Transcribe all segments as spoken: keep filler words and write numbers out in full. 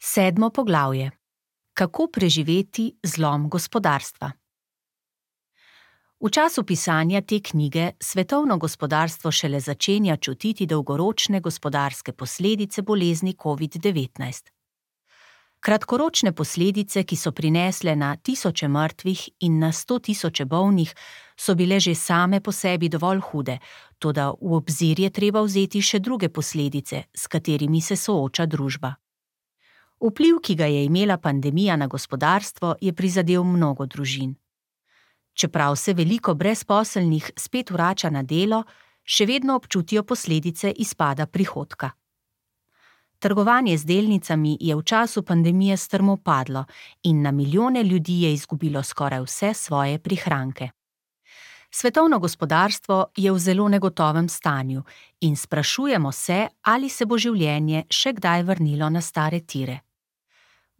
Sedmo poglavje. Kako preživeti zlom gospodarstva? V času pisanja te knjige svetovno gospodarstvo šele začenja čutiti dolgoročne gospodarske posledice bolezni covid devetnajst. Kratkoročne posledice, ki so prinesle na tisoče mrtvih in na sto tisoče bolnih, so bile že same po sebi dovolj hude, toda v obzir je treba vzeti še druge posledice, s katerimi se sooča družba. Vpliv, ki ga je imela pandemija na gospodarstvo, je prizadel mnogo družin. Čeprav se veliko brezposelnih spet vrača na delo, še vedno občutijo posledice izpada prihodka. Trgovanje z delnicami je v času pandemije strmo padlo in na milijone ljudi je izgubilo skoraj vse svoje prihranke. Svetovno gospodarstvo je v zelo negotovem stanju in sprašujemo se, ali se bo življenje še kdaj vrnilo na stare tire.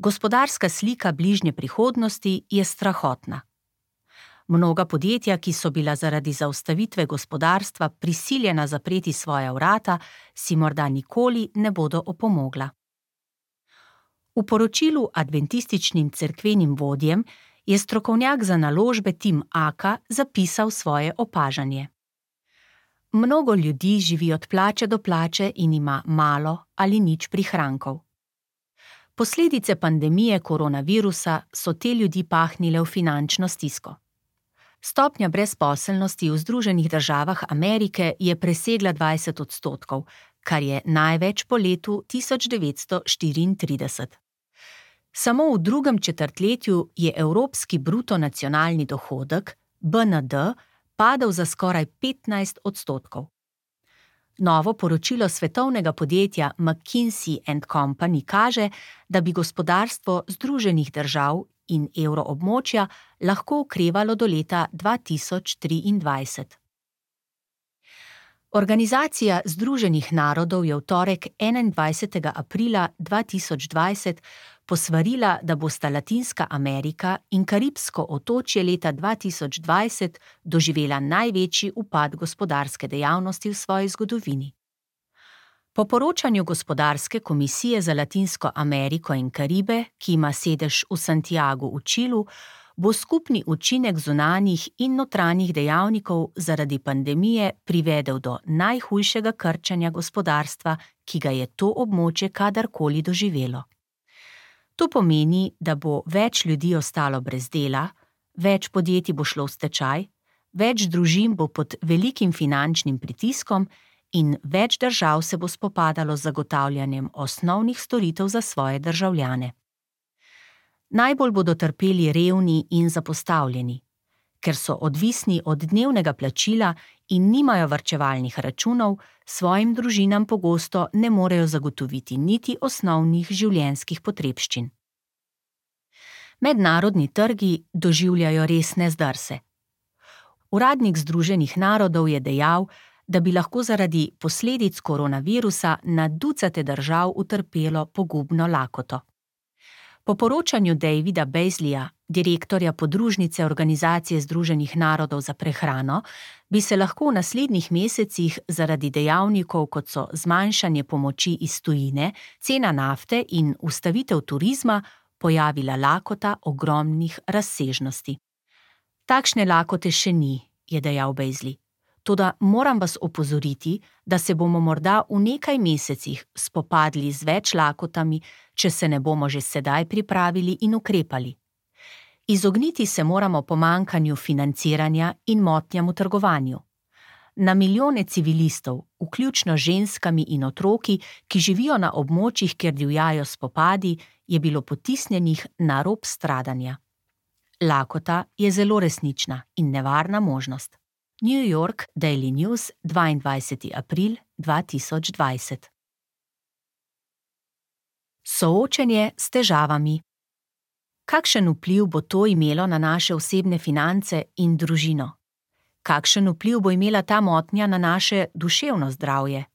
Gospodarska slika bližnje prihodnosti je strahotna. Mnoga podjetja, ki so bila zaradi zaustavitve gospodarstva prisiljena zapreti svoja vrata, si morda nikoli ne bodo opomogla. V poročilu adventističnim cerkvenim vodjem je strokovnjak za naložbe Tim Aka zapisal svoje opažanje. Mnogo ljudi živi od plače do plače in ima malo ali nič prihrankov. Posledice pandemije koronavirusa so te ljudi pahnile v finančno stisko. Stopnja brezposelnosti v Združenih državah Amerike je presegla dvajset odstotkov, kar je največ po letu tisoč devetsto štiriintrideset. Samo v drugem četrtletju je evropski bruto nacionalni dohodek, B N D, padel za skoraj petnajst odstotkov. Novo poročilo svetovnega podjetja McKinsey and Company kaže, da bi gospodarstvo Združenih držav in evroobmočja lahko okrevalo do leta dva tisoč triindvajset. Organizacija Združenih narodov je v torek enaindvajsetega aprila dva tisoč dvajset posvarila, da bosta Latinska Amerika in Karibsko otočje leta dva tisoč dvajset doživela največji upad gospodarske dejavnosti v svoji zgodovini. Po poročanju Gospodarske komisije za Latinsko Ameriko in Karibe, ki ima sedež v Santiagu v Čilu, bo skupni učinek zunanjih in notranjih dejavnikov zaradi pandemije privedel do najhujšega krčenja gospodarstva, ki ga je to območje kadarkoli doživelo. To pomeni, da bo več ljudi ostalo brez dela, več podjetij bo šlo v stečaj, več družin bo pod velikim finančnim pritiskom in več držav se bo spopadalo z zagotavljanjem osnovnih storitev za svoje državljane. Najbolj bodo trpeli revni in zapostavljeni, ker so odvisni od dnevnega plačila in nimajo varčevalnih računov, svojim družinam pogosto ne morejo zagotoviti niti osnovnih življenjskih potrebščin. Mednarodni trgi doživljajo resne zdrse. Uradnik Združenih narodov je dejal, da bi lahko zaradi posledic koronavirusa na ducate držav utrpelo pogubno lakoto. Po poročanju Davida Beasleyja, direktorja podružnice Organizacije Združenih narodov za prehrano, bi se lahko v naslednjih mesecih zaradi dejavnikov, kot so zmanjšanje pomoči iz tujine, cena nafte in ustavitev turizma, pojavila lakota ogromnih razsežnosti. Takšne lakote še ni, je dejal Beasley. Toda moram vas opozoriti, da se bomo morda v nekaj mesecih spopadli z več lakotami, če se ne bomo že sedaj pripravili in ukrepali. Izogniti se moramo pomanjkanju financiranja in motnjam v trgovanju. Na milijone civilistov, vključno ženskami in otroki, ki živijo na območjih, kjer divjajo spopadi, je bilo potisnjenih na rob stradanja. Lakota je zelo resnična in nevarna možnost. New York Daily News, dvaindvajseti april dva tisoč dvajset. Soočenje s težavami. Kakšen vpliv bo to imelo na naše osebne finance in družino? Kakšen vpliv bo imela ta motnja na naše duševno zdravje?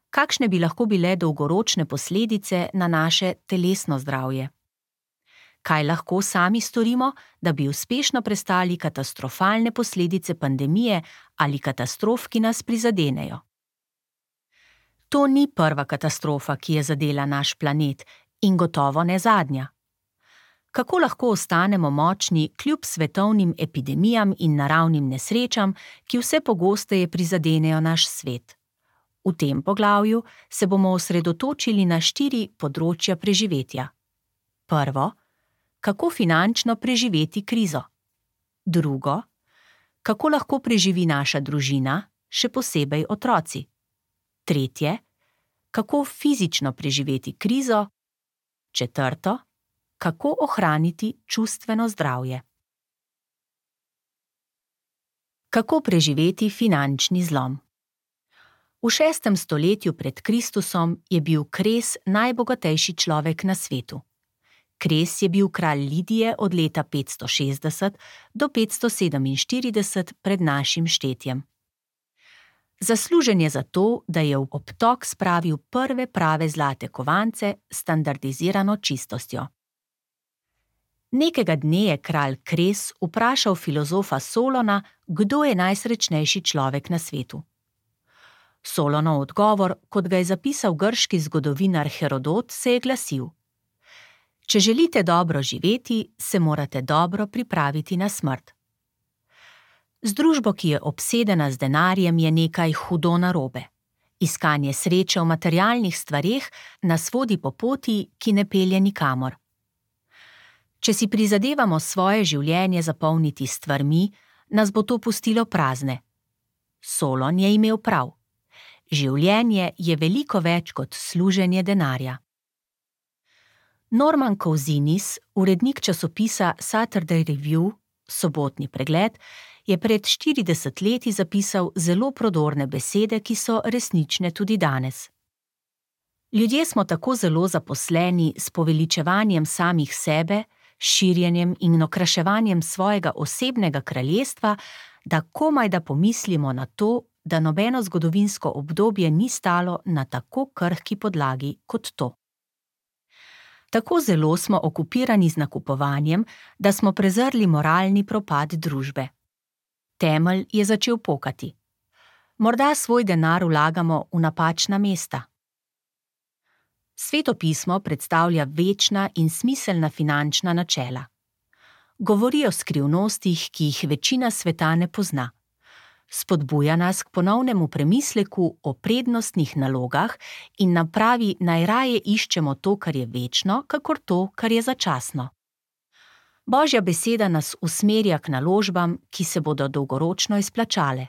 Kakšne bi lahko bile dolgoročne posledice na naše telesno zdravje? Kaj lahko sami storimo, da bi uspešno prestali katastrofalne posledice pandemije ali katastrof, ki nas prizadenejo? To ni prva katastrofa, ki je zadela naš planet In gotovo ne zadnja. Kako lahko ostanemo močni kljub svetovnim epidemijam in naravnim nesrečam, ki vse pogosteje prizadenejo naš svet? V tem poglavju se bomo osredotočili na štiri področja preživetja. Prvo, kako finančno preživeti krizo. Drugo, kako lahko preživi naša družina, še posebej otroci. Tretje, kako fizično preživeti krizo. Četrto, kako ohraniti čustveno zdravje. Kako preživeti finančni zlom? V šestem stoletju pred Kristusom je bil Kres najbogatejši človek na svetu. Kres je bil kralj Lidije od leta petsto šestdeset do petsto sedeminštirideset pred našim štetjem. Zaslužen je za to, da je v obtok spravil prve prave zlate kovance s standardizirano čistostjo. Nekega dne je kralj Kres vprašal filozofa Solona, kdo je najsrečnejši človek na svetu. Solonov odgovor, kot ga je zapisal grški zgodovinar Herodot, se je glasil: Če želite dobro živeti, se morate dobro pripraviti na smrt. Z družbo, ki je obsedena z denarjem, je nekaj hudo narobe. Iskanje sreče v materialnih stvareh nas vodi po poti, ki ne pelje nikamor. Če si prizadevamo svoje življenje zapolniti s stvarmi, nas bo to pustilo prazne. Solon je imel prav. Življenje je veliko več kot služenje denarja. Norman Cousinis, urednik časopisa Saturday Review, sobotni pregled, je pred štirideset leti zapisal zelo prodorne besede, ki so resnične tudi danes. Ljudje smo tako zelo zaposleni s poveličevanjem samih sebe, širjenjem in okraševanjem svojega osebnega kraljestva, da komaj da pomislimo na to, da nobeno zgodovinsko obdobje ni stalo na tako krhki podlagi kot to. Tako zelo smo okupirani z nakupovanjem, da smo prezrli moralni propad družbe. Temelj je začel pokati. Morda svoj denar vlagamo v napačna mesta. Svetopismo predstavlja večna in smiselna finančna načela. Govori o skrivnostih, ki jih večina sveta ne pozna. Spodbuja nas k ponovnemu premisleku o prednostnih nalogah in napravi najraje iščemo to, kar je večno, kakor to, kar je začasno. Božja beseda nas usmerja k naložbam, ki se bodo dolgoročno izplačale.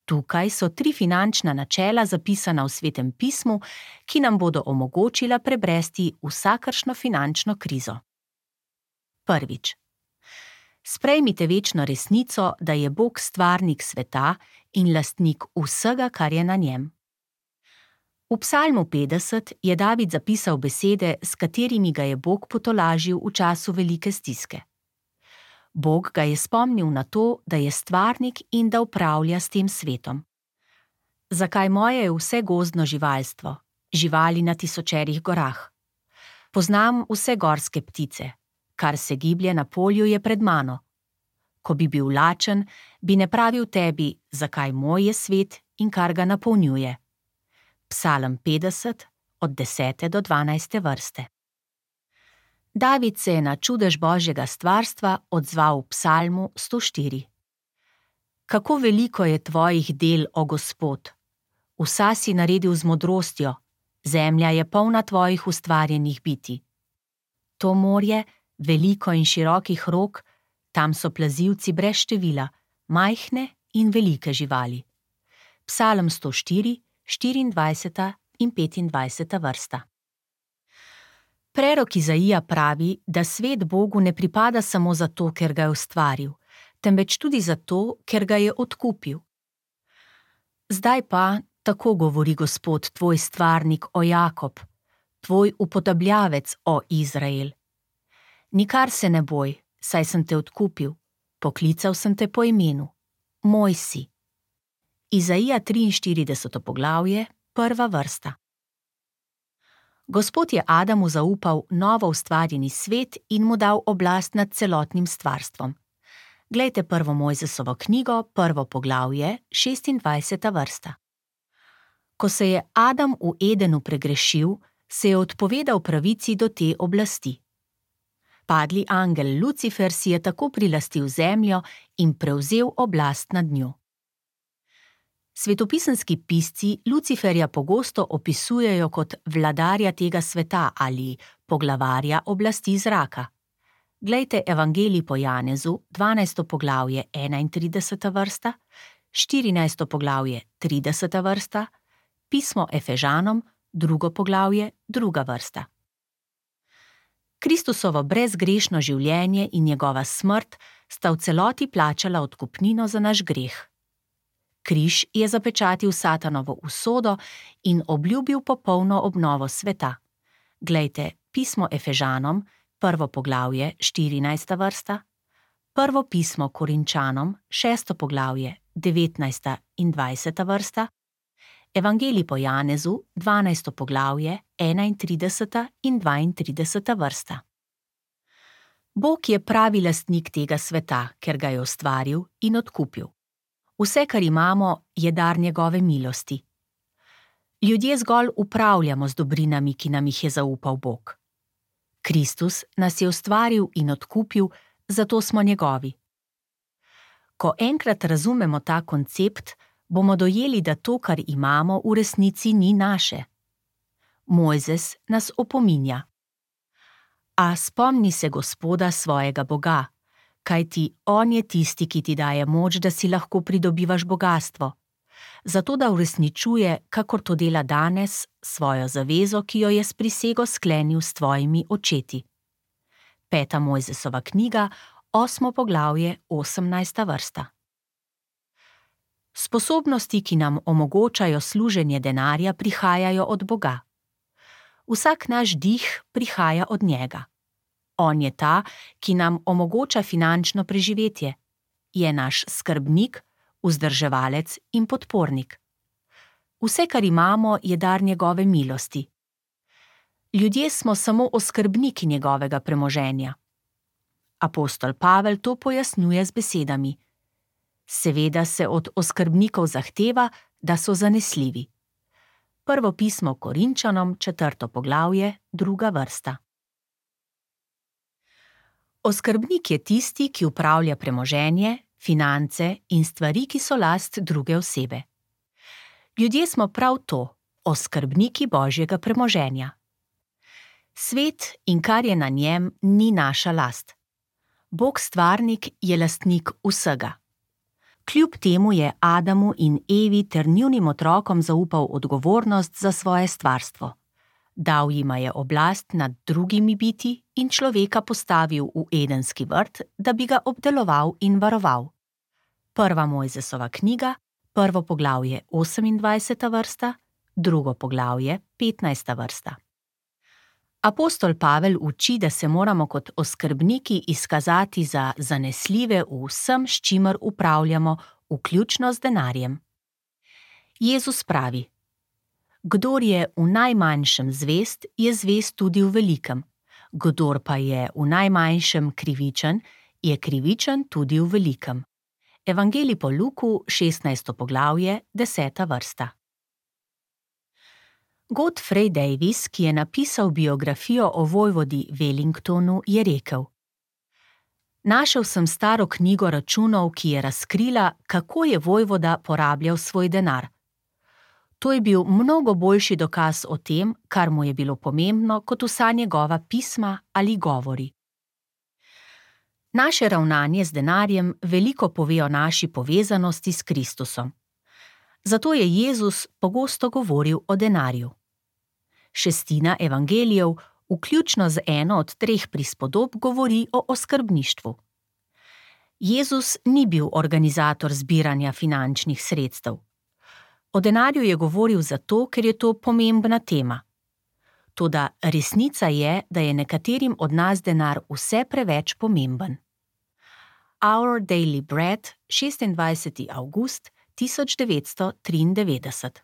Tukaj so tri finančna načela zapisana v Svetem pismu, ki nam bodo omogočila prebresti vsakršno finančno krizo. Prvič. Sprejmite večno resnico, da je Bog stvarnik sveta in lastnik vsega, kar je na njem. V Psalmu petdeset je David zapisal besede, s katerimi ga je Bog potolažil v času velike stiske. Bog ga je spomnil na to, da je stvarnik in da upravlja s tem svetom. Zakaj moje je vse gozdno živalstvo, živali na tisočerih gorah? Poznam vse gorske ptice. Kar se giblje na polju, je pred mano. Ko bi bil lačen, bi ne pravil tebi, zakaj moj je svet in kar ga napolnjuje. Psalm petdeset, od desete do dvanajste vrste. David se je na čudež Božjega stvarstva odzval v Psalmu sto štiri. Kako veliko je tvojih del, o Gospod! Vsa si naredil z modrostjo, zemlja je polna tvojih ustvarjenih bitij. To morje, veliko in širokih rok, tam so plazivci brez števila, majhne in velike živali. Psalm sto štiri, štiriindvajseta in petindvajseta vrsta. Prerok Izaija pravi, da svet Bogu ne pripada samo zato, ker ga je ustvaril, temveč tudi zato, ker ga je odkupil. Zdaj pa, tako govori Gospod, tvoj stvarnik, o Jakob, tvoj upodabljavec, o Izrael. Nikar se ne boj, saj sem te odkupil, poklical sem te po imenu, moj si. Izaija triinštirideseto poglavje, prva vrsta. Gospod je Adamu zaupal novo ustvarjeni svet in mu dal oblast nad celotnim stvarstvom. Glejte prvo Mojzesovo knjigo, prvo poglavje, šestindvajseta vrsta. Ko se je Adam v Edenu pregrešil, se je odpovedal pravici do te oblasti. Padli angel Lucifer si je tako prilastil zemljo in prevzel oblast nad njo. Svetopisemski pisci Luciferja pogosto opisujejo kot vladarja tega sveta ali poglavarja oblasti zraka. Glejte Evangelij po Janezu, dvanajsto poglavje, enaintrideseta vrsta, štirinajsto poglavje, trideseta vrsta, pismo Efežanom, drugo poglavje, druga vrsta. Kristusovo brezgrešno življenje in njegova smrt sta v celoti plačala odkupnino za naš greh. Križ je zapečatil Satanovo usodo in obljubil popolno obnovo sveta. Glejte pismo Efežanom, prvo poglavje, štirinajsta vrsta, prvo pismo Korinčanom, šesto poglavje, devetnajsta in dvajseta vrsta, Evangelij po Janezu, dvanajsto poglavje, enaintrideseta in dvaintrideseta vrsta. Bog je pravi lastnik tega sveta, ker ga je ustvaril in odkupil. Vse, kar imamo, je dar njegove milosti. Ljudje zgolj upravljamo z dobrinami, ki nam jih je zaupal Bog. Kristus nas je ustvaril in odkupil, zato smo njegovi. Ko enkrat razumemo ta koncept, bomo dojeli, da to, kar imamo, v resnici ni naše. Mojzes nas opominja. A spomni se Gospoda svojega Boga, kajti on je tisti, ki ti daje moč, da si lahko pridobivaš bogastvo, zato da uresničuje, kakor to dela danes, svojo zavezo, ki jo je s prisego sklenil s tvojimi očeti. Peta Mojzesova knjiga, osmo poglavje, osemnajsta vrsta. Sposobnosti, ki nam omogočajo služenje denarja, prihajajo od Boga. Vsak naš dih prihaja od njega. On je ta, ki nam omogoča finančno preživetje. Je naš skrbnik, vzdrževalec in podpornik. Vse, kar imamo, je dar njegove milosti. Ljudje smo samo oskrbniki njegovega premoženja. Apostol Pavel to pojasnjuje z besedami. Seveda se od oskrbnikov zahteva, da so zanesljivi. Prvo pismo Korinčanom, četrto poglavje, druga vrsta. Oskrbnik je tisti, ki upravlja premoženje, finance in stvari, ki so last druge osebe. Ljudje smo prav to, oskrbniki Božjega premoženja. Svet in kar je na njem, ni naša last. Bog stvarnik je lastnik vsega. Kljub temu je Adamu in Evi ter njunim otrokom zaupal odgovornost za svoje stvarstvo. Dal jima je oblast nad drugimi biti in človeka postavil v Edenski vrt, da bi ga obdeloval in varoval. Prva Mojzesova knjiga, prvo poglavje osemindvajseta vrsta, drugo poglavje petnajsta vrsta. Apostol Pavel uči, da se moramo kot oskrbniki izkazati za zanesljive v vsem, s čimer upravljamo, vključno z denarjem. Jezus pravi: Kdor je v najmanjšem zvest, je zvest tudi v velikem. Kdor pa je v najmanjšem krivičen, je krivičen tudi v velikem. Evangelij po Luku, šestnajsto poglavje, deseta vrsta. Godfrey Davis, ki je napisal biografijo o vojvodi Wellingtonu, je rekel: Našel sem staro knjigo računov, ki je razkrila, kako je vojvoda porabljal svoj denar. To je bil mnogo boljši dokaz o tem, kar mu je bilo pomembno, kot vsa njegova pisma ali govori. Naše ravnanje z denarjem veliko pove o naši povezanosti s Kristusom. Zato je Jezus pogosto govoril o denarju. Šestina evangelijev, vključno z eno od treh prispodob, govori o oskrbništvu. Jezus ni bil organizator zbiranja finančnih sredstev. O denarju je govoril zato, ker je to pomembna tema. Toda resnica je, da je nekaterim od nas denar vse preveč pomemben. Our Daily Bread, šestindvajseti avgust tisoč devetsto triindevetdeset.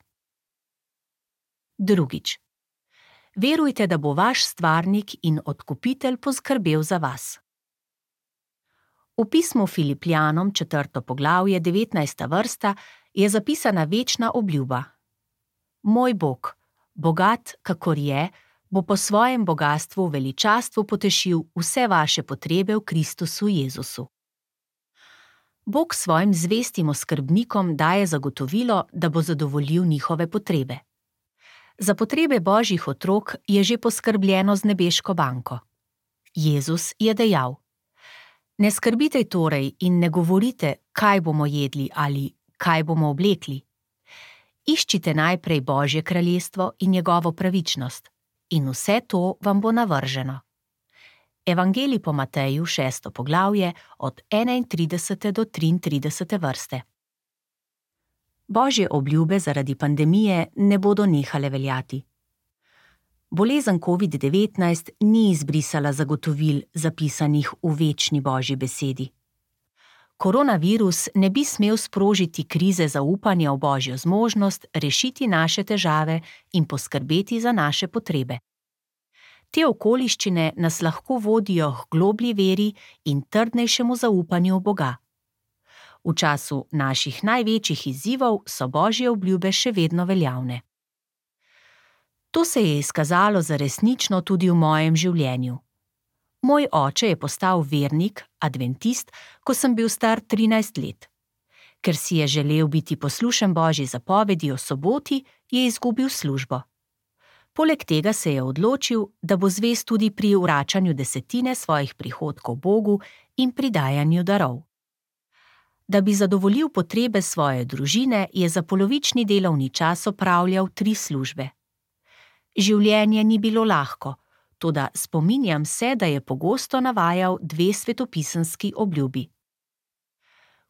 Drugič. Verujte, da bo vaš stvarnik in odkupitelj poskrbel za vas. V pismu Filipljanom, četrto poglavje, devetnajsta vrsta, je zapisana večna obljuba. Moj Bog, bogat, kakor je, bo po svojem bogastvu v veličastvu potešil vse vaše potrebe v Kristusu Jezusu. Bog svojim zvestim oskrbnikom daje zagotovilo, da bo zadovoljil njihove potrebe. Za potrebe Božjih otrok je že poskrbljeno z nebeško banko. Jezus je dejal: Ne skrbite torej in ne govorite, kaj bomo jedli ali kaj bomo oblekli. Iščite najprej Božje kraljestvo in njegovo pravičnost, in vse to vam bo navrženo. Evangelij po Mateju, šesto poglavje, od enaintridesete do triintridesete vrste. Božje obljube zaradi pandemije ne bodo nehale veljati. Bolezen covid devetnajst ni izbrisala zagotovil, zapisanih v večni Božji besedi. Koronavirus ne bi smel sprožiti krize zaupanja v Božjo zmožnost rešiti naše težave in poskrbeti za naše potrebe. Te okoliščine nas lahko vodijo k globlji veri in trdnejšemu zaupanju v Boga. V času naših največjih izzivov so Božje obljube še vedno veljavne. To se je izkazalo za resnično tudi v mojem življenju. Moj oče je postal vernik, adventist, ko sem bil star trinajst let. Ker si je želel biti poslušen Božji zapovedi o soboti, je izgubil službo. Poleg tega se je odločil, da bo zvest tudi pri vračanju desetine svojih prihodkov Bogu in pri dajanju darov. Da bi zadovoljil potrebe svoje družine, je za polovični delovni čas opravljal tri službe. Življenje ni bilo lahko, toda spominjam se, da je pogosto navajal dve svetopisemski obljubi.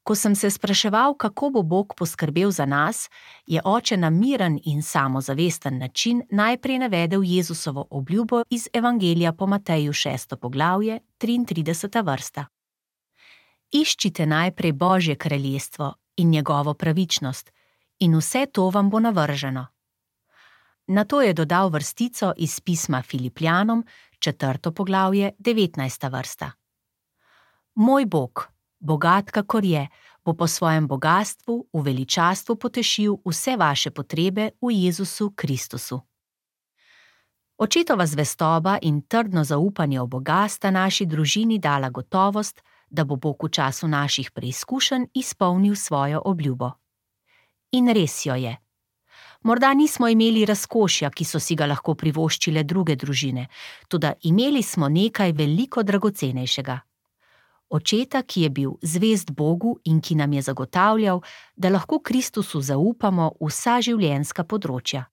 Ko sem se spraševal, kako bo Bog poskrbel za nas, je oče na miren in samozavesten način najprej navedel Jezusovo obljubo iz Evangelija po Mateju, šesto poglavje, triintrideseta vrsta. Iščite najprej Božje kraljestvo in njegovo pravičnost, in vse to vam bo navrženo. Nato je dodal vrstico iz pisma Filipljanom, četrto poglavje, devetnajsta vrsta. Moj Bog, bogat kakor je, bo po svojem bogastvu v veličastvu potešil vse vaše potrebe v Jezusu Kristusu. Očetova zvestoba in trdno zaupanje v Boga sta naši družini dala gotovost, da bo Bog v času naših preizkušenj izpolnil svojo obljubo. In res jo je. Morda nismo imeli razkošja, ki so si ga lahko privoščile druge družine, toda imeli smo nekaj veliko dragocenejšega. Očeta, ki je bil zvest Bogu in ki nam je zagotavljal, da lahko Kristusu zaupamo vsa življenjska področja.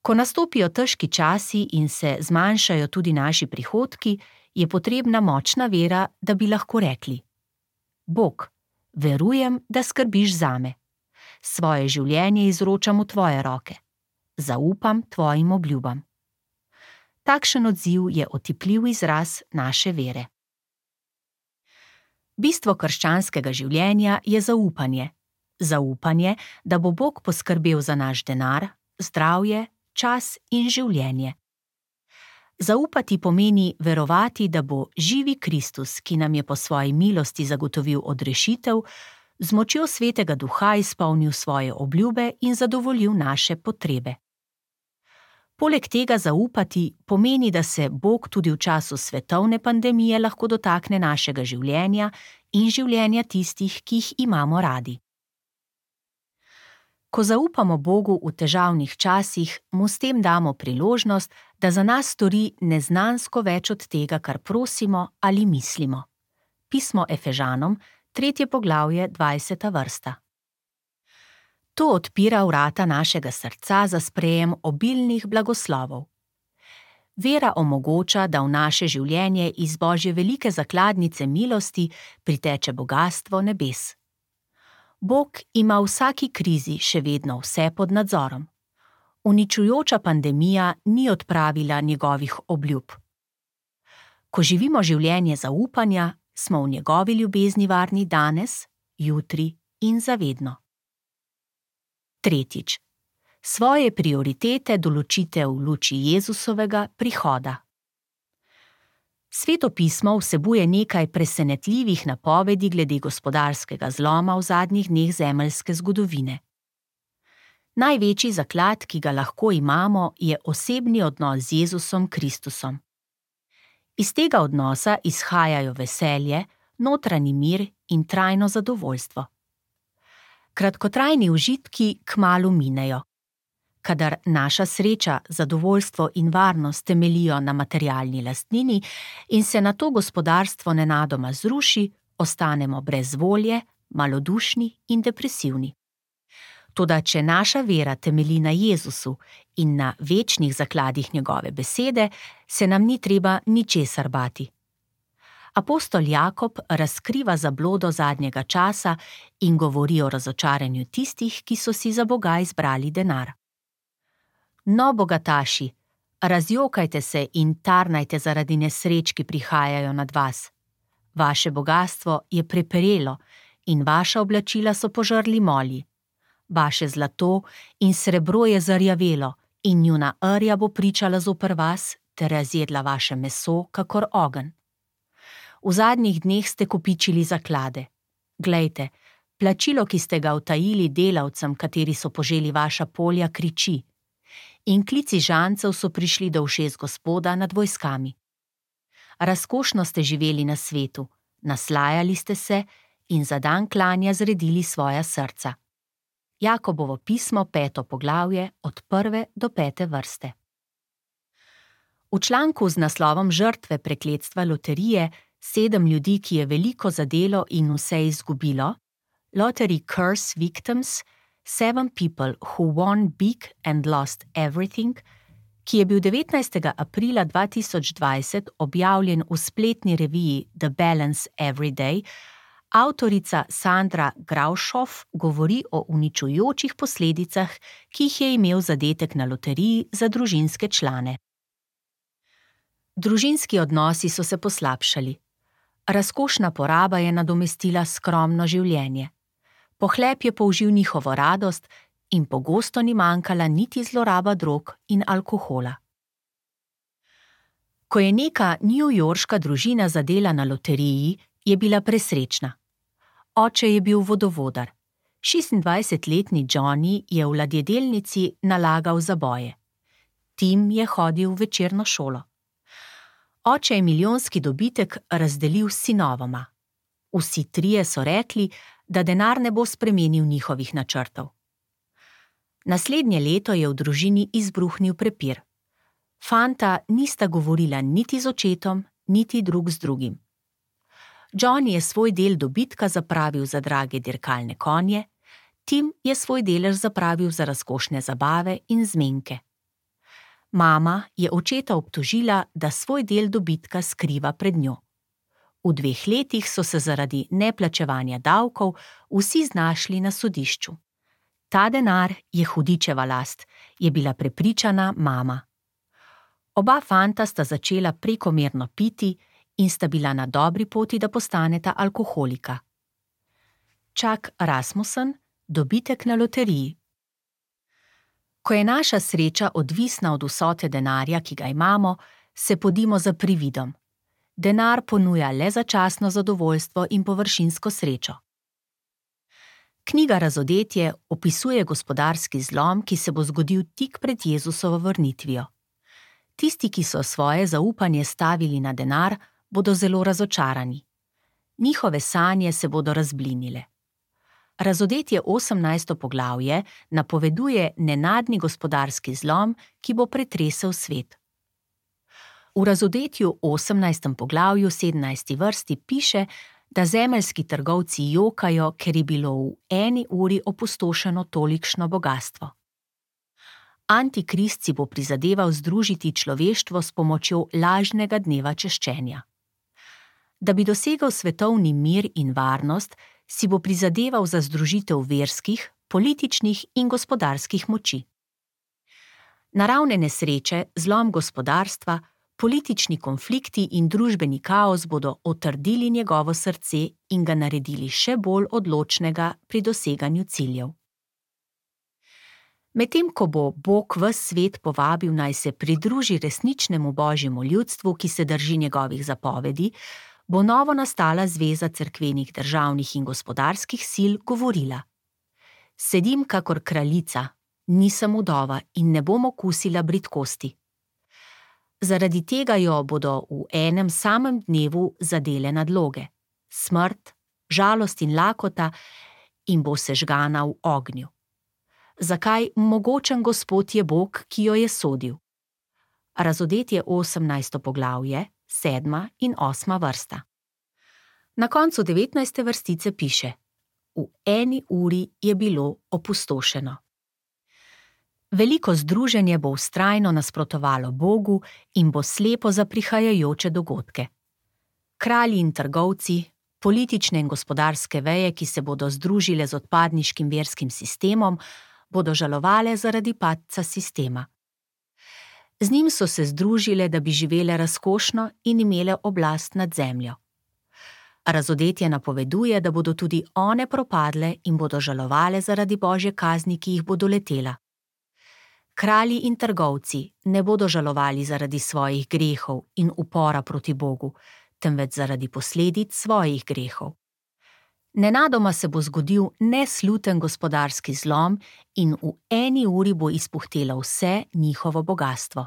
Ko nastopijo težki časi in se zmanjšajo tudi naši prihodki, je potrebna močna vera, da bi lahko rekli: Bog, verujem, da skrbiš zame. Svoje življenje izročam v tvoje roke. Zaupam tvojim obljubam. Takšen odziv je otipljiv izraz naše vere. Bistvo krščanskega življenja je zaupanje. Zaupanje, da bo Bog poskrbel za naš denar, zdravje, čas in življenje. Zaupati pomeni verovati, da bo živi Kristus, ki nam je po svoji milosti zagotovil odrešitev, z močjo Svetega Duha izpolnil svoje obljube in zadovoljil naše potrebe. Poleg tega zaupati pomeni, da se Bog tudi v času svetovne pandemije lahko dotakne našega življenja in življenja tistih, ki jih imamo radi. Ko zaupamo Bogu v težavnih časih, mu s tem damo priložnost, da za nas stori neznansko več od tega, kar prosimo ali mislimo. Pismo Efežanom, tretje poglavje, dvajseta vrsta. To odpira vrata našega srca za sprejem obilnih blagoslovov. Vera omogoča, da v naše življenje iz Božje velike zakladnice milosti priteče bogastvo nebes. Bog ima v vsaki krizi še vedno vse pod nadzorom. Uničujoča pandemija ni odpravila njegovih obljub. Ko živimo življenje zaupanja, smo v njegovi ljubezni varni danes, jutri in zavedno. Tretjič. Svoje prioritete določite v luči Jezusovega prihoda. Sveto pismo vsebuje nekaj presenetljivih napovedi glede gospodarskega zloma v zadnjih dneh zemeljske zgodovine. Največji zaklad, ki ga lahko imamo, je osebni odnos z Jezusom Kristusom. Iz tega odnosa izhajajo veselje, notranji mir in trajno zadovoljstvo. Kratkotrajni užitki kmalu minejo. Kadar naša sreča, zadovoljstvo in varnost temeljijo na materialni lastnini in se nato gospodarstvo nenadoma zruši, ostanemo brez volje, malodušni in depresivni. Toda če naša vera temelji na Jezusu in na večnih zakladih njegove besede, se nam ni treba ničesar bati. Apostol Jakob razkriva zablodo zadnjega časa in govori o razočaranju tistih, ki so si za Boga izbrali denar. No, bogataši, razjokajte se in tarnajte zaradi nesreč, ki prihajajo nad vas. Vaše bogastvo je preperelo in vaša oblačila so požrli molji. Vaše zlato in srebro je zarjavelo in njuna rja bo pričala zoper vas ter razjedla vaše meso kakor ogenj. V zadnjih dneh ste kopičili zaklade. Glejte, plačilo, ki ste ga utajili delavcem, kateri so poželi vaša polja, kriči. In klici žancev so prišli do ušes Gospoda nad vojskami. Razkošno ste živeli na svetu, naslajali ste se in za dan klanja zredili svoja srca. Jakobovo pismo, peto poglavje, od prve do pete vrste. V članku z naslovom Žrtve prekletstva loterije, sedem ljudi, ki je veliko zadelo in vse izgubilo, Lottery Curse Victims, Seven People Who Won Big and Lost Everything, ki je bil devetnajstega aprila dva tisoč dvajset objavljen v spletni reviji The Balance Every Day, avtorica Sandra Graushoff govori o uničujočih posledicah, ki jih je imel zadetek na loteriji za družinske člane. Družinski odnosi so se poslabšali. Razkošna poraba je nadomestila skromno življenje. Pohlep je použil njihovo radost in pogosto ni manjkala niti zloraba drog in alkohola. Ko je neka newyorška družina zadela na loteriji, je bila presrečna. Oče je bil vodovodar. šestindvajsetletni Johnny je v ladjedelnici nalagal zaboje. Tim je hodil v večerno šolo. Oče je milijonski dobitek razdelil s sinovoma. Vsi trije so rekli, da denar ne bo spremenil njihovih načrtov. Naslednje leto je v družini izbruhnil prepir. Fanta nista govorila niti z očetom, niti drug z drugim. Johnny je svoj del dobitka zapravil za drage dirkalne konje, Tim je svoj delež zapravil za razkošne zabave in zmenke. Mama je očeta obtožila, da svoj del dobitka skriva pred njo. V dveh letih so se zaradi neplačevanja davkov vsi znašli na sodišču. Ta denar je hudičeva last, je bila prepričana mama. Oba fanta sta začela prekomerno piti in sta bila na dobri poti, da postaneta alkoholika. Chuck Rasmussen, dobitek na loteriji. Ko je naša sreča odvisna od vsote denarja, ki ga imamo, se podimo za prividom. Denar ponuja le začasno zadovoljstvo in površinsko srečo. Knjiga Razodetje opisuje gospodarski zlom, ki se bo zgodil tik pred Jezusovo vrnitvijo. Tisti, ki so svoje zaupanje stavili na denar, bodo zelo razočarani. Njihove sanje se bodo razblinile. Razodetje osemnajsto poglavje napoveduje nenadni gospodarski zlom, ki bo pretresel svet. V Razodetju osemnajstem poglavju sedemnajsti vrsti piše, da zemeljski trgovci jokajo, ker je bilo v eni uri opustošeno tolikšno bogastvo. Antikrist si bo prizadeval združiti človeštvo s pomočjo lažnega dneva češčenja. Da bi dosegel svetovni mir in varnost, si bo prizadeval za združitev verskih, političnih in gospodarskih moči. Naravne nesreče, zlom gospodarstva, politični konflikti in družbeni kaos bodo otrdili njegovo srce in ga naredili še bolj odločnega pri doseganju ciljev. Medtem ko bo Bog ves svet povabil, naj se pridruži resničnemu božjemu ljudstvu, ki se drži njegovih zapovedi, bo novo nastala zveza cerkvenih državnih in gospodarskih sil govorila: Sedim kakor kraljica, nisem vdova in ne bom okusila bridkosti. Zaradi tega jo bodo v enem samem dnevu zadele nadloge, smrt, žalost in lakota, in bo sežgana v ognju. Zakaj mogočen Gospod je Bog, ki jo je sodil? Razodetje osemnajsto poglavje, sedma in osma vrsta. Na koncu devetnajste vrstice piše: v eni uri je bilo opustošeno. Veliko združenje bo vztrajno nasprotovalo Bogu in bo slepo za prihajajoče dogodke. Kralji in trgovci, politične in gospodarske veje, ki se bodo združile z odpadniškim verskim sistemom, bodo žalovale zaradi padca sistema. Z njim so se združile, da bi živele razkošno in imele oblast nad zemljo. Razodetje napoveduje, da bodo tudi one propadle in bodo žalovale zaradi Božje kazni, ki jih bo doletela. Kralji in trgovci ne bodo žalovali zaradi svojih grehov in upora proti Bogu, temveč zaradi posledic svojih grehov. Nenadoma se bo zgodil nesluten gospodarski zlom in v eni uri bo izpuhtelo vse njihovo bogastvo.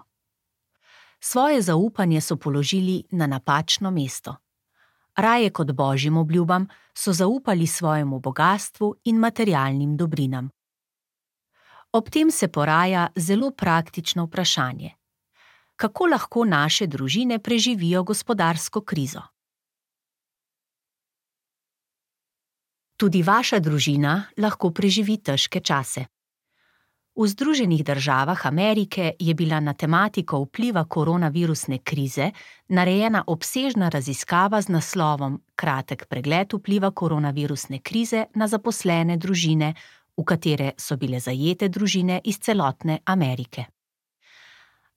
Svoje zaupanje so položili na napačno mesto. Raje kot Božjim obljubam so zaupali svojemu bogastvu in materialnim dobrinam. Ob tem se poraja zelo praktično vprašanje: kako lahko naše družine preživijo gospodarsko krizo? Tudi vaša družina lahko preživi težke čase. V Združenih državah Amerike je bila na tematiko vpliva koronavirusne krize narejena obsežna raziskava z naslovom Kratek pregled vpliva koronavirusne krize na zaposlene družine, v katere so bile zajete družine iz celotne Amerike.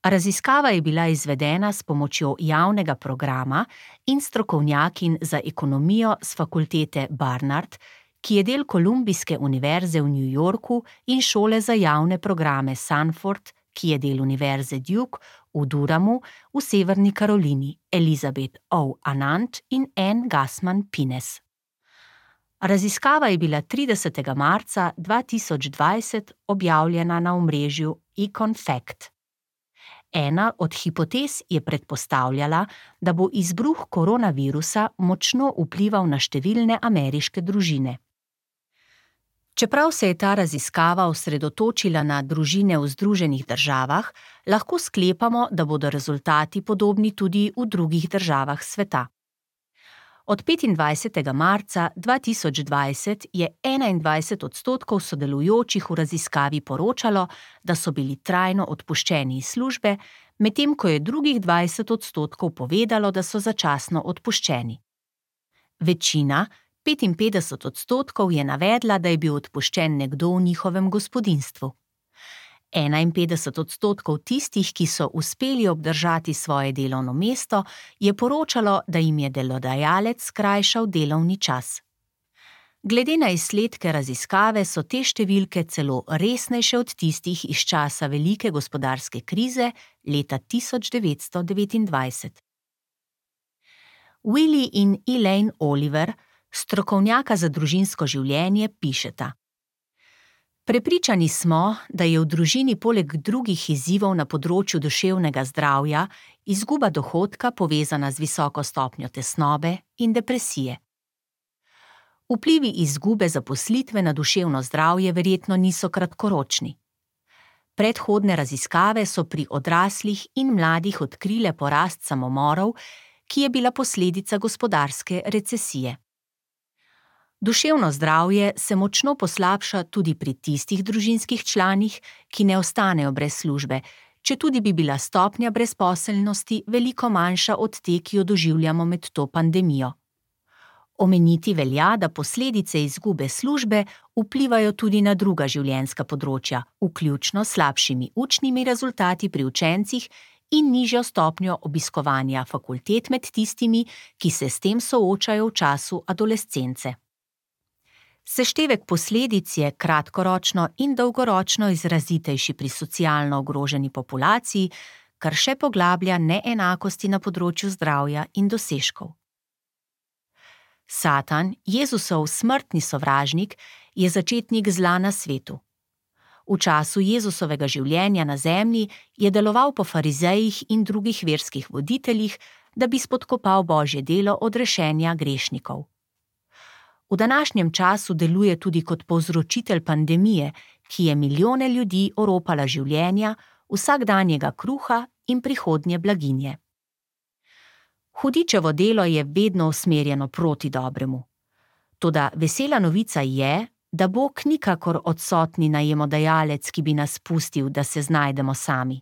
Raziskava je bila izvedena s pomočjo javnega programa in strokovnjakinj za ekonomijo s fakultete Barnard, ki je del Kolumbijske univerze v New Yorku, in šole za javne programe Sanford, ki je del univerze Duke v Duramu v Severni Karolini, Elizabeth O. Anand in Ann Gassman Pines. Raziskava je bila tridesetega marca dva tisoč dvajset objavljena na omrežju EconFact. Ena od hipotez je predpostavljala, da bo izbruh koronavirusa močno vplival na številne ameriške družine. Čeprav se je ta raziskava osredotočila na družine v Združenih državah, lahko sklepamo, da bodo rezultati podobni tudi v drugih državah sveta. Od petindvajsetega marca dva tisoč dvajset je enaindvajset odstotkov sodelujočih v raziskavi poročalo, da so bili trajno odpuščeni iz službe, medtem ko je drugih dvajset odstotkov povedalo, da so začasno odpuščeni. Večina, petinpetdeset odstotkov, je navedla, da je bil odpuščen nekdo v njihovem gospodinjstvu. enainpetdeset odstotkov tistih, ki so uspeli obdržati svoje delovno mesto, je poročalo, da jim je delodajalec skrajšal delovni čas. Glede na izsledke raziskave so te številke celo resnejše od tistih iz časa velike gospodarske krize leta tisoč devetsto devetindvajset. Willie in Elaine Oliver, strokovnjaka za družinsko življenje, pišeta: Prepričani smo, da je v družini poleg drugih izzivov na področju duševnega zdravja izguba dohodka povezana z visoko stopnjo tesnobe in depresije. Vplivi izgube zaposlitve na duševno zdravje verjetno niso kratkoročni. Predhodne raziskave so pri odraslih in mladih odkrile porast samomorov, ki je bila posledica gospodarske recesije. Duševno zdravje se močno poslabša tudi pri tistih družinskih članih, ki ne ostanejo brez službe, četudi bi bila stopnja brezposelnosti veliko manjša od te, ki jo doživljamo med to pandemijo. Omeniti velja, da posledice izgube službe vplivajo tudi na druga življenjska področja, vključno s slabšimi učnimi rezultati pri učencih in nižjo stopnjo obiskovanja fakultet med tistimi, ki se s tem soočajo v času adolescence. Seštevek posledic je kratkoročno in dolgoročno izrazitejši pri socialno ogroženi populaciji, kar še poglablja neenakosti na področju zdravja in dosežkov. Satan, Jezusov smrtni sovražnik, je začetnik zla na svetu. V času Jezusovega življenja na zemlji je deloval po farizejih in drugih verskih voditeljih, da bi spodkopal Božje delo odrešenja grešnikov. V današnjem času deluje tudi kot povzročitelj pandemije, ki je milijone ljudi oropala življenja, vsakdanjega kruha in prihodnje blaginje. Hudičevo delo je vedno usmerjeno proti dobremu. Toda vesela novica je, da Bog nikakor odsotni najemodajalec, ki bi nas pustil, da se znajdemo sami.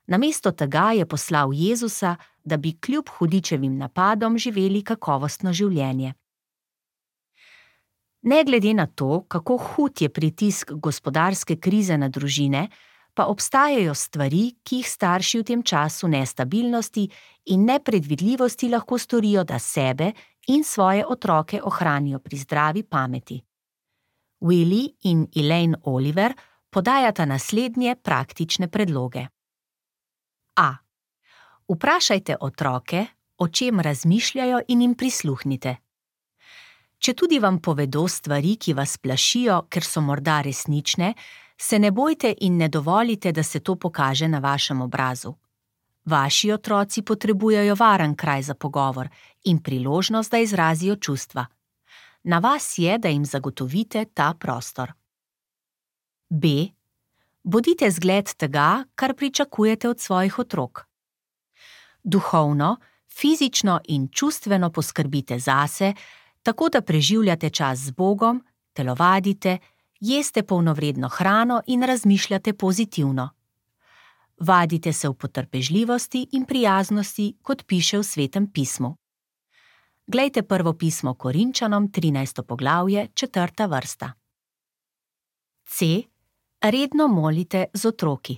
Namesto tega je poslal Jezusa, da bi kljub hudičevim napadom živeli kakovostno življenje. Ne glede na to, kako hud je pritisk gospodarske krize na družine, pa obstajajo stvari, ki jih starši v tem času nestabilnosti in nepredvidljivosti lahko storijo, da sebe in svoje otroke ohranijo pri zdravi pameti. Willy in Elaine Oliver podajata naslednje praktične predloge. A. Vprašajte otroke, o čem razmišljajo, in jim prisluhnite. Četudi vam povedo stvari, ki vas plašijo, ker so morda resnične, se ne bojte in ne dovolite, da se to pokaže na vašem obrazu. Vaši otroci potrebujejo varen kraj za pogovor in priložnost, da izrazijo čustva. Na vas je, da jim zagotovite ta prostor. B. Bodite zgled tega, kar pričakujete od svojih otrok. Duhovno, fizično in čustveno poskrbite zase, tako da preživljate čas z Bogom, telovadite, jeste polnovredno hrano in razmišljate pozitivno. Vadite se v potrpežljivosti in prijaznosti, kot piše v Svetem pismu. Glejte prvo pismo Korinčanom, trinajsto poglavje, četrta vrsta. C. Redno molite z otroki.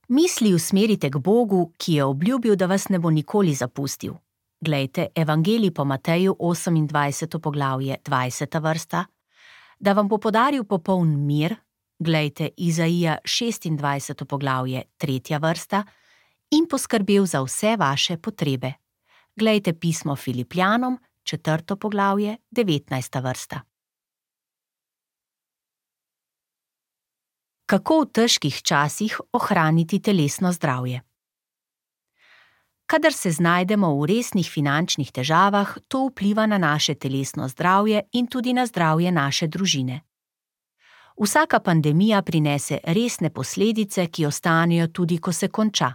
Misli usmerite k Bogu, ki je obljubil, da vas ne bo nikoli zapustil. Glejte Evangelij po Mateju, osemindvajseto poglavje, dvajseta vrsta, da vam bo podaril popoln mir, glejte Izaija, šestindvajseto poglavje, tretja vrsta, in poskrbel za vse vaše potrebe. Glejte pismo Filipljanom, četrto poglavje, devetnajsta vrsta. Kako v težkih časih ohraniti telesno zdravje? Kadar se znajdemo v resnih finančnih težavah, to vpliva na naše telesno zdravje in tudi na zdravje naše družine. Vsaka pandemija prinese resne posledice, ki ostanejo tudi, ko se konča.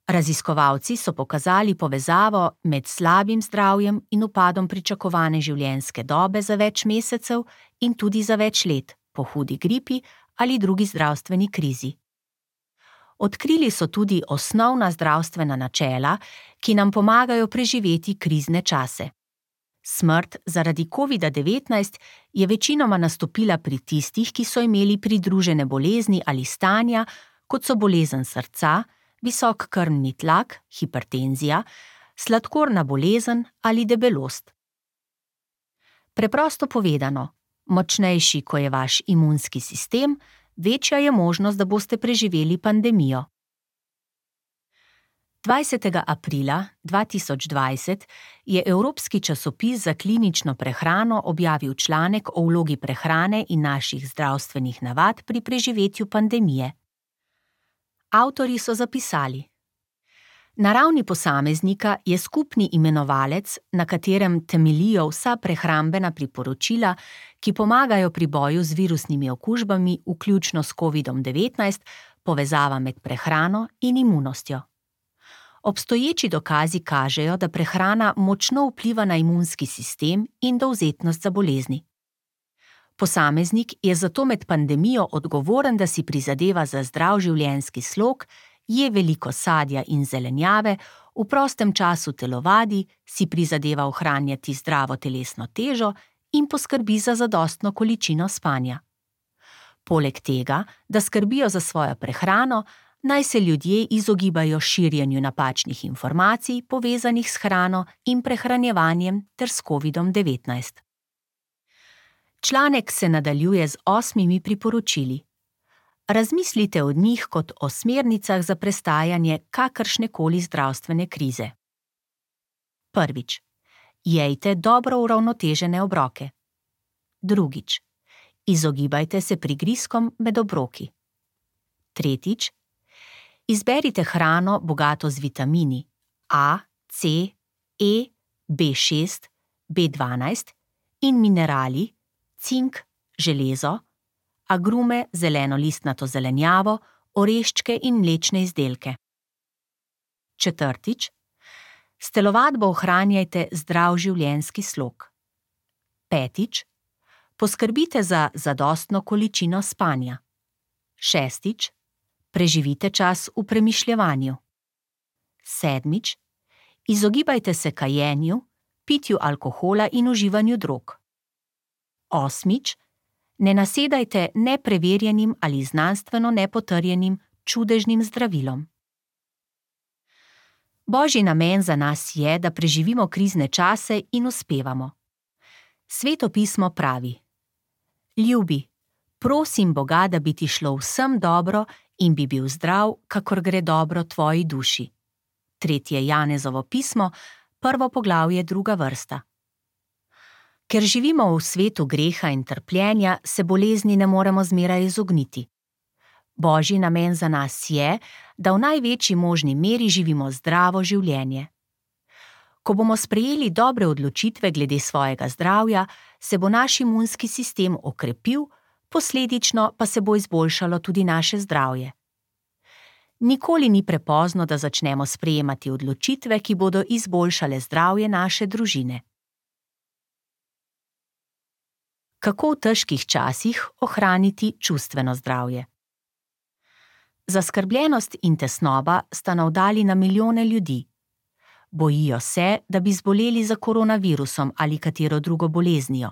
Raziskovalci so pokazali povezavo med slabim zdravjem in upadom pričakovane življenjske dobe za več mesecev in tudi za več let, po hudi gripi ali drugi zdravstveni krizi. Odkrili so tudi osnovna zdravstvena načela, ki nam pomagajo preživeti krizne čase. Smrt zaradi kovida devetnajst je večinoma nastopila pri tistih, ki so imeli pridružene bolezni ali stanja, kot so bolezen srca, visok krvni tlak, hipertenzija, sladkorna bolezen ali debelost. Preprosto povedano, močnejši, ko je vaš imunski sistem, večja je možnost, da boste preživeli pandemijo. dvajsetega aprila dva tisoč dvajset je evropski časopis za klinično prehrano objavil članek o vlogi prehrane in naših zdravstvenih navad pri preživetju pandemije. Avtorji so zapisali: Na ravni posameznika je skupni imenovalec, na katerem temeljijo vsa prehrambena priporočila, ki pomagajo pri boju z virusnimi okužbami, vključno s kovidom devetnajst, povezava med prehrano in imunostjo. Obstoječi dokazi kažejo, da prehrana močno vpliva na imunski sistem in dovzetnost za bolezni. Posameznik je zato med pandemijo odgovoren, da si prizadeva za zdrav življenjski slog, je veliko sadja in zelenjave, v prostem času telovadi, si prizadeva ohranjati zdravo telesno težo in poskrbi za zadostno količino spanja. Poleg tega, da skrbijo za svojo prehrano, naj se ljudje izogibajo širjenju napačnih informacij povezanih s hrano in prehranjevanjem ter s kovidom devetnajst. Članek se nadaljuje z osmimi priporočili. Razmislite o njih kot o smernicah za prestajanje kakršnekoli zdravstvene krize. Prvič. Jejte dobro uravnotežene obroke. Drugič. Izogibajte se prigrizkom med obroki. Tretjič, izberite hrano bogato z vitamini A, C, E, B šest, B dvanajst in minerali, cink, železo, agrume, zelenolistnato zelenjavo, oreščke in mlečne izdelke. Četrtič, s telovadbo ohranjajte zdrav življenjski slog. Petič, poskrbite za zadostno količino spanja. Šestič, preživite čas v premišljevanju. Sedmič, izogibajte se kajenju, pitju alkohola in uživanju drog. Osmič, ne nasedajte nepreverjenim ali znanstveno nepotrjenim čudežnim zdravilom. Božji namen za nas je, da preživimo krizne čase in uspevamo. Sveto pismo pravi: Ljubi, prosim Boga, da bi ti šlo vsem dobro in bi bil zdrav, kakor gre dobro tvoji duši. Tretje Janezovo pismo, prvo poglavje, druga vrsta. Ker živimo v svetu greha in trpljenja, se bolezni ne moremo zmeraj izogniti. Božji namen za nas je, da v največji možni meri živimo zdravo življenje. Ko bomo sprejeli dobre odločitve glede svojega zdravja, se bo naš imunski sistem okrepil, posledično pa se bo izboljšalo tudi naše zdravje. Nikoli ni prepozno, da začnemo sprejemati odločitve, ki bodo izboljšale zdravje naše družine. Kako v težkih časih ohraniti čustveno zdravje? Zaskrbljenost in tesnoba sta navdali na milijone ljudi. Bojijo se, da bi zboleli za koronavirusom ali katero drugo boleznijo.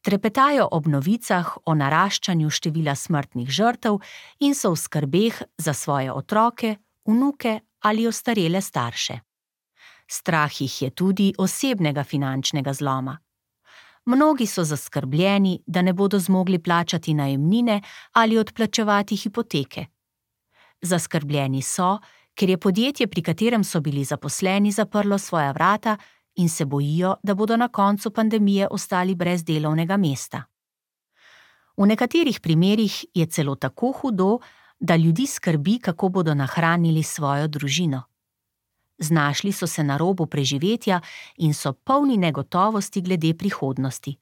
Trepetajo ob novicah o naraščanju števila smrtnih žrtev in so v skrbeh za svoje otroke, vnuke ali ostarele starše. Strah jih je tudi osebnega finančnega zloma. Mnogi so zaskrbljeni, da ne bodo zmogli plačati najemnine ali odplačevati hipoteke. Zaskrbljeni so, ker je podjetje, pri katerem so bili zaposleni, zaprlo svoja vrata in se bojijo, da bodo na koncu pandemije ostali brez delovnega mesta. V nekaterih primerih je celo tako hudo, da ljudi skrbi, kako bodo nahranili svojo družino. Znašli so se na robu preživetja in so polni negotovosti glede prihodnosti.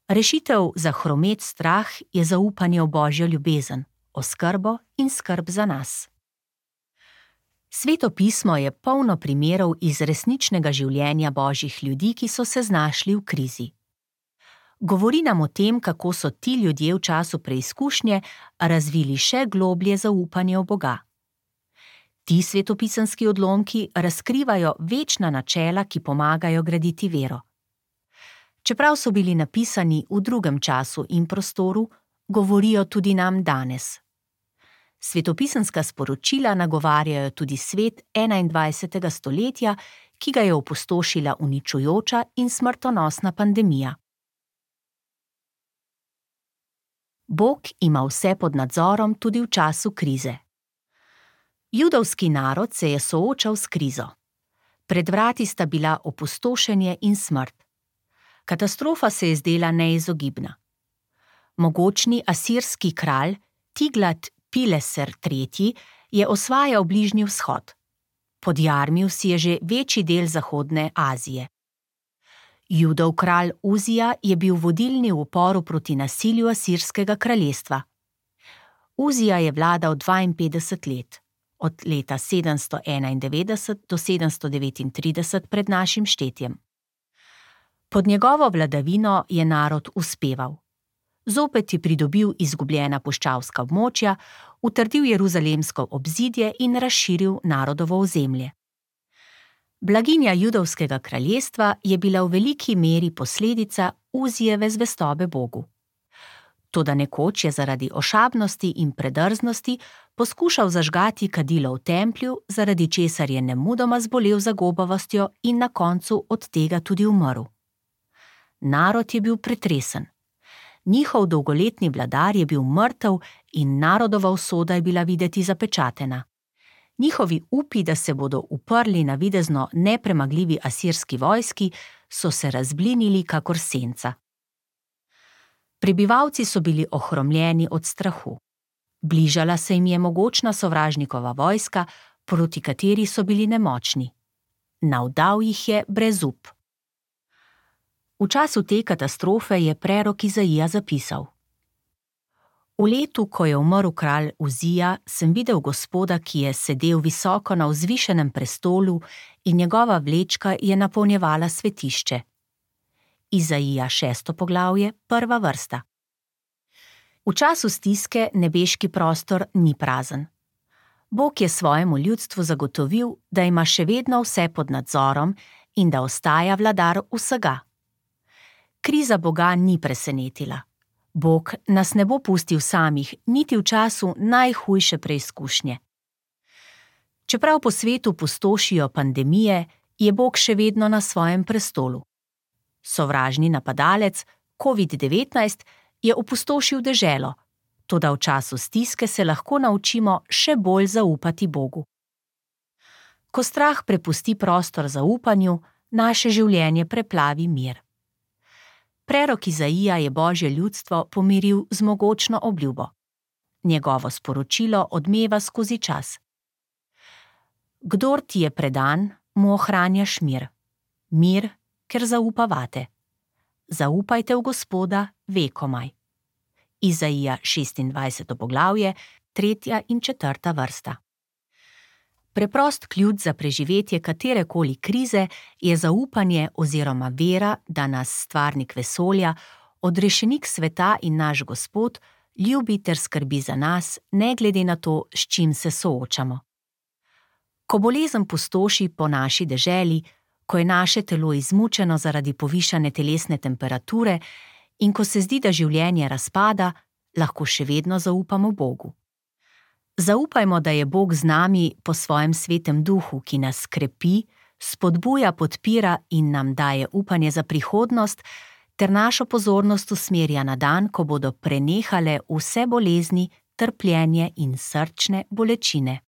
Rešitev za hromet strah je zaupanje v Božjo ljubezen, oskrbo in skrb za nas. Sveto pismo je polno primerov iz resničnega življenja Božjih ljudi, ki so se znašli v krizi. Govori nam o tem, kako so ti ljudje v času preizkušnje razvili še globlje zaupanje v Boga. Ti svetopisemski odlomki razkrivajo večna načela, ki pomagajo graditi vero. Čeprav so bili napisani v drugem času in prostoru, govorijo tudi nam danes. Svetopisemska sporočila nagovarjajo tudi svet enaindvajsetega stoletja, ki ga je opustošila uničujoča in smrtonosna pandemija. Bog ima vse pod nadzorom tudi v času krize. Judovski narod se je soočal s krizo. Pred vrati sta bila opustošenje in smrt. Katastrofa se je zdela neizogibna. Mogočni asirski kralj Tiglat-Pileser tretji je osvajal Bližnji vzhod. Podjarmil si je že večji del zahodne Azije. Judov kralj Uzija je bil vodilni v uporu proti nasilju asirskega kraljestva. Uzija je vladal dvainpetdeset let. Od leta sedemsto enaindevetdeset do sedemsto devetintrideset pred našim štetjem. Pod njegovo vladavino je narod uspeval. Zopet je pridobil izgubljena puščavska območja, utrdil jeruzalemsko obzidje in razširil narodovo ozemlje. Blaginja judovskega kraljestva je bila v veliki meri posledica Uzijeve zvestobe Bogu. Toda nekoč je zaradi ošabnosti in predrznosti poskušal zažgati kadilo v templju, zaradi česar je nemudoma zbolel za gobavostjo in na koncu od tega tudi umrl. Narod je bil pretresen. Njihov dolgoletni vladar je bil mrtev in narodova usoda je bila videti zapečatena. Njihovi upi, da se bodo uprli na videzno nepremagljivi asirski vojski, so se razblinili kakor senca. Prebivalci so bili ohromljeni od strahu. Bližala se jim je mogočna sovražnikova vojska, proti kateri so bili nemočni. Navdal jih je brezup. V času te katastrofe je prerok Izaija zapisal: V letu, ko je umrl kralj Uzija, sem videl Gospoda, ki je sedel visoko na vzvišenem prestolu in njegova vlečka je napolnjevala svetišče. Izaija šesto poglavje, prva vrsta. V času stiske nebeški prostor ni prazen. Bog je svojemu ljudstvu zagotovil, da ima še vedno vse pod nadzorom in da ostaja vladar vsega. Kriza Boga ni presenetila. Bog nas ne bo pustil samih, niti v času najhujše preizkušnje. Čeprav po svetu pustošijo pandemije, je Bog še vedno na svojem prestolu. Sovražni napadalec, covid devetnajst, je opustošil deželo, toda v času stiske se lahko naučimo še bolj zaupati Bogu. Ko strah prepusti prostor zaupanju, naše življenje preplavi mir. Prerok Izaija je Božje ljudstvo pomiril z mogočno obljubo. Njegovo sporočilo odmeva skozi čas. Kdor ti je predan, mu ohranjaš mir. Mir, ker zaupa vate. Zaupajte v Gospoda vekomaj. Izaija šestindvajseto poglavje, tretja in četrta vrsta. Preprost ključ za preživetje katerekoli krize je zaupanje oziroma vera, da nas stvarnik vesolja, odrešenik sveta in naš Gospod, ljubi ter skrbi za nas, ne glede na to, s čim se soočamo. Ko bolezen pustoši po naši deželi, ko je naše telo izmučeno zaradi povišane telesne temperature in ko se zdi, da življenje razpada, lahko še vedno zaupamo Bogu. Zaupajmo, da je Bog z nami po svojem svetem duhu, ki nas krepi, spodbuja, podpira in nam daje upanje za prihodnost, ter našo pozornost usmerja na dan, ko bodo prenehale vse bolezni, trpljenje in srčne bolečine.